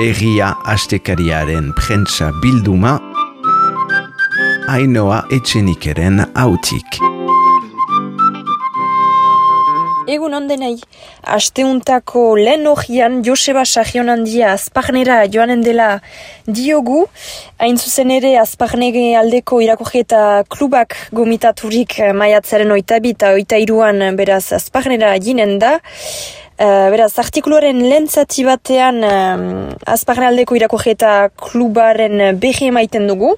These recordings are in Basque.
Egia astekariaren prentsa bilduma, Ainhoa Etxenikeren hautik. Egun ondenei, asteuntako lehen hogian Joseba Sarrionandia Azparnera joanen dela diogu, hain zuzen ere Azparnege aldeko irakurketa klubak gomitaturik maiatzaren 22 eta 23an beraz Azparnera jinen da. Beraz, artikuluaren lehen zati batean Azparne aldeko irakurketa klubaren berri emaiten dugu.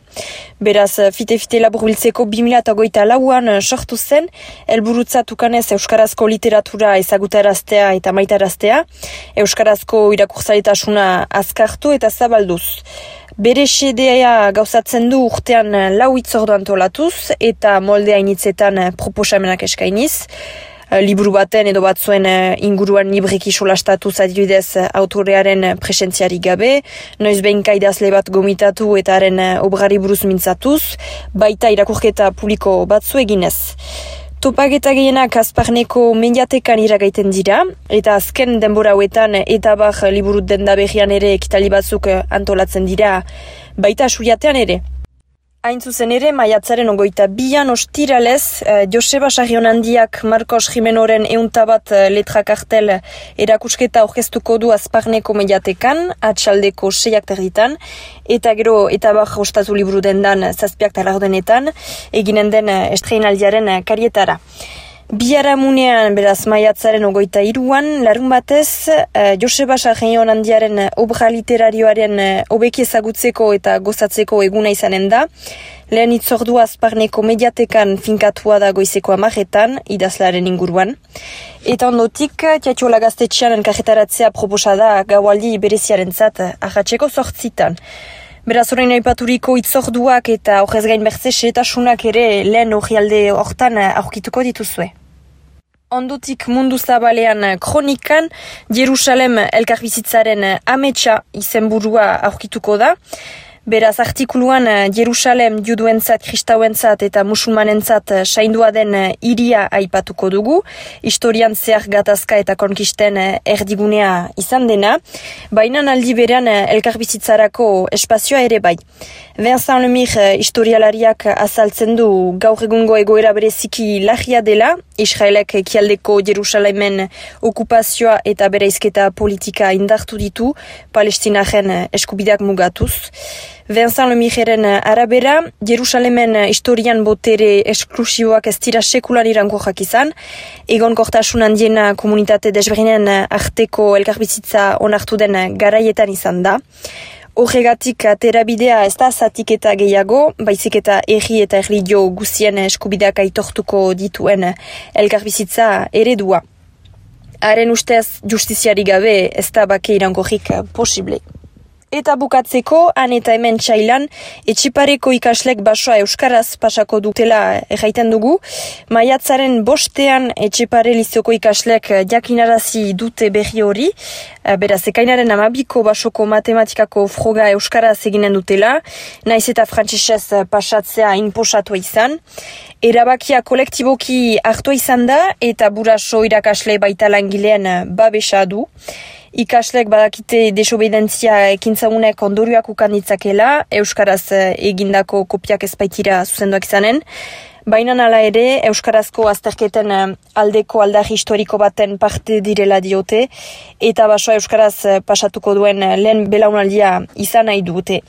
Beraz, fite-fite laburbiltzeko 2024an sortu zen, helburutzat ukanez euskarazko literatura ezagutaraztea eta maitaraztea, euskarazko irakurtzailetasuna azkartu eta zabalduz. Bere xedea gauzatzen du urtean 4 hitzordu antolatuz eta molde hainitzetan proposamenak eskainiz. Liburu baten edo batzuen inguruan libreki solastatuz adibidez autorearen presentziari gabe, noiz behinka idazle bat gomitatu eta haren obrari buruz mintzatuz, baita irakurketa publiko batzu eginez. Topaketa gehienak Azparneko mediatekan iragaiten dira, eta azken denbora hauetan eta bar liburu denda berrian ere ekitali batzuk antolatzen dira, baita suriatean ere. Hain zuzen ere, maiatzaren 22an ostiralez, Joseba Sarrionandiak Marcos Jimenoren 101 letra kartel erakusketa aurkeztuko du Azparneko mediatekan, atxaldeko 6:30, eta gero eta bar ostatu liburu dendan 7:00 eginen den estreinaldiaren karietara. Biharamunean, beraz, maiatzaren 23an, larun batez, Joseba Sarrionandiaren obra literarioaren hobeki ezagutzeko eta gozatzeko eguna izanen da. Lehen hitzordua Azparneko mediatekan finkatua da goizeko 10:00 idazlearen inguruan. Eta ondotik, Tiatxola gaztetxean elkarretaratzea proposa da gaualdi bereziarentzat arratseko 8:00. Beraz, orain aipaturiko hitzorduak eta horrez gain bertze xehetasunak ere lehen orrialde hortan aurkituko dituzue. Ondotik mundu zabalean kronikan, Jerusalem elkarbizitzaren ametsa izenburua aurkituko da. Beraz, artikuluan Jerusalem juduentzat, kristauentzat eta musulmanentzat saindua den hiria aipatuko dugu, historian zehar gatazka eta konkisten erdigunea izan dena, baina aldi berean elkarbizitzarako espazioa ere bai. Vincent Lemire historialariak azaltzen du gaur egungo egoera bereziki larria dela, Israelek ekialdeko Jerusalemen okupazioa eta bereizketa politika indartu ditu, Palestinaren eskubideak mugatuz. Vincent Lemireren arabera, Jerusalemen historian botere esklusiboak ez dira sekulan iraunkorrak izan, egonkortasun handiena komunitate desberdinen arteko elkarbizitza onartu den garaietan izan da. Horregatik terabidea ez da zatiketa gehiago, baizik eta erri eta erlijio guztien eskubideak aitortuko dituen elkarbizitza eredua. Haren ustez justiziari gabe ez da bake iraunkorrik posible. Eta bukatzeko, han eta hemen txailan, Etxepareko ikaslek basoa euskaraz pasako dutela erraiten dugu. Maiatzaren 5ean Etxepare lizioko ikaslek jakinarazi dute berri hori. Beraz, ekainaren 12ko basoko matematikako froga euskaraz eginen dutela, naiz eta frantsesez pasatzea inposatu izan. Erabakia kolektiboki hartu izan da eta buraso irakasle baita langileen babesa du. Ikaslek badakite desobedientzia ekintzagunek ondorioak ukan ditzakela, euskaraz egindako kopiak ezbaitira zuzenduak izanen. Baina hala ere, euskarazko azterketen aldeko aldarri historiko baten parte direla diote, eta basoa euskaraz pasatuko duen lehen belaunaldia izan nahi dute.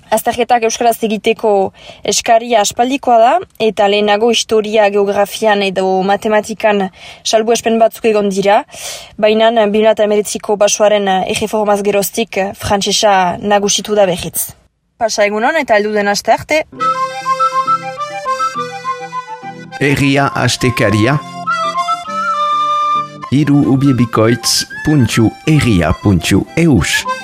Azterketak euskaraz egiteko eskaria aspaldikoa da, eta lehenago historia, geografian edo matematikan salbuespen batzuk egon dira, baina 2019ko basoaren erreformaz geroztik frantsesa nagusitu da berriz. Pasa egunon eta heldu den aste arte. Egia astekaria #egia.eus